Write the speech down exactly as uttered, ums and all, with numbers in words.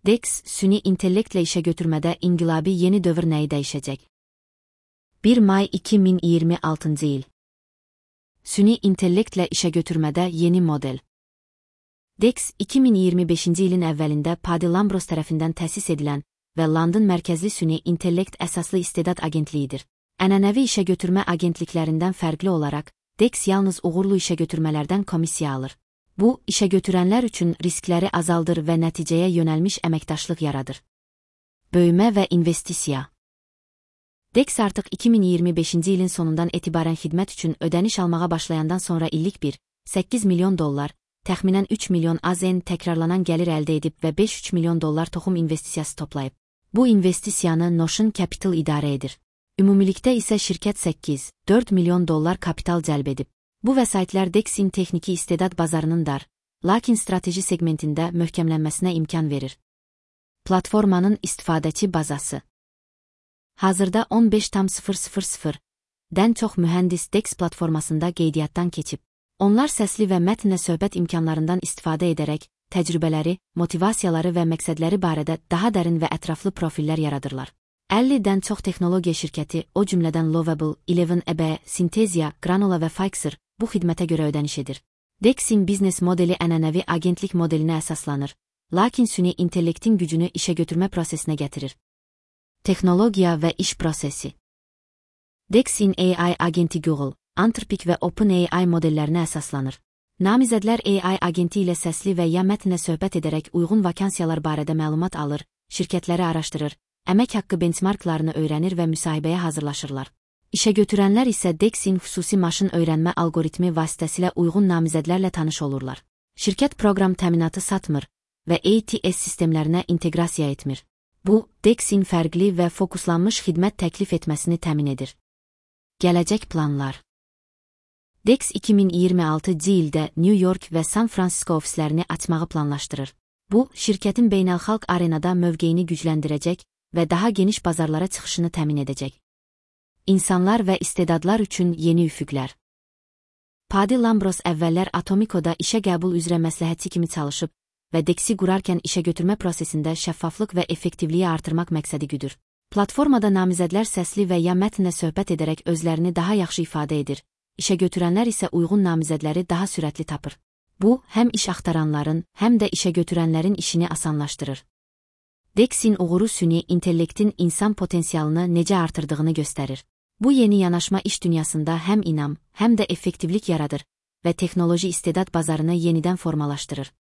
D E X, süni intellektle işe götürmede inqilabi yeni dövr nəyi dəyişəcək? bir may iki min iyirmi altıncı il. Süni intellektle işe götürmede yeni model. D E X, iki min iyirmi beşinci ilin əvvəlində Paddy Lambros tərəfindən təsis edilən və London mərkəzli süni intellekt əsaslı istedad agentliyidir. Ənənəvi işe götürmə agentliklərindən fərqli olaraq, D E X yalnız uğurlu işe götürmələrdən komissiya alır. Bu, işe götürənlər üçün riskləri azaldır və nəticəyə yönəlmiş əməkdaşlıq yaradır. Böyümə və investisiya. D E X artıq iki min iyirmi beşinci ilin sonundan etibarən xidmət üçün ödəniş almağa başlayandan sonra illik bir nöqtə səkkiz milyon dollar, təxminən üç milyon A Z N təkrarlanan gəlir əldə edib və beş nöqtə üç milyon dollar toxum investisiyası toplayıb. Bu investisiyanı Notion Capital idarə edir. Ümumilikdə isə şirkət səkkiz nöqtə dörd milyon dollar kapital cəlb edib. Bu vəsaitlər D E X-in texniki istedad bazarının dar, lakin strateji segmentində möhkəmlənməsinə imkan verir. Platformanın istifadəçi bazası. Hazırda on beş nöqtə dən çox mühəndis D E X platformasında qeydiyyatdan keçib. Onlar səsli və mətnlə söhbət imkanlarından istifadə edərək, təcrübələri, motivasiyaları və məqsədləri barədə daha dərin və ətraflı profillər yaradırlar. əllidən çox texnologiya şirkəti, o cümlədən Lovable, Eleven E B, Synthesia, Granola və Pfizer, bu xidmətə görə ödəniş edir. D E X-in biznes modeli ənənəvi agentlik modelinə əsaslanır, lakin süni intellektin gücünü işe götürmə prosesinə gətirir. Texnologiya və iş prosesi. D E X-in A I agenti Google, Anthropic və OpenAI modellərinə əsaslanır. Namizədlər A I agenti ilə səsli və ya mətnlə söhbət edərək uyğun vakansiyalar barədə məlumat alır, şirkətləri araşdırır, əmək haqqı benchmarklarını öyrənir və müsahibəyə hazırlaşırlar. İşe götürənlər isə D E X-in xüsusi maşın öyrənmə algoritmi vasitəsilə uyğun namizədlərlə tanış olurlar. Şirkət proqram təminatı satmır və A T S sistemlərinə inteqrasiya etmir. Bu, D E X-in fərqli və fokuslanmış xidmət təklif etməsini təmin edir. Gələcək planlar. D E X iki min iyirmi altıncı ildə New York və San Francisco ofislərini açmağı planlaşdırır. Bu, şirkətin beynəlxalq arenada mövqeyini gücləndirəcək və daha geniş bazarlara çıxışını təmin edəcək. İnsanlar və istedadlar üçün yeni üfüqlər. Paddy Lambros əvvəllər Atomico'da işə qəbul üzrə məsləhətçi kimi çalışıb və D E X-i qurarkən işe götürmə prosesində şəffaflıq və effektivliyi artırmaq məqsədi güdür. Platformada namizədlər səsli və ya mətnlə söhbət edərək özlərini daha yaxşı ifadə edir, işe götürənlər isə uyğun namizədləri daha sürətli tapır. Bu, həm iş axtaranların, həm də işe götürənlərin işini asanlaşdırır. D E X-in uğuru süni intellektin insan potensialını necə artırdığını göstərir. Bu yeni yanaşma iş dünyasında həm inam, həm də effektivlik yaradır və texnoloji istedad bazarını yenidən formalaşdırır.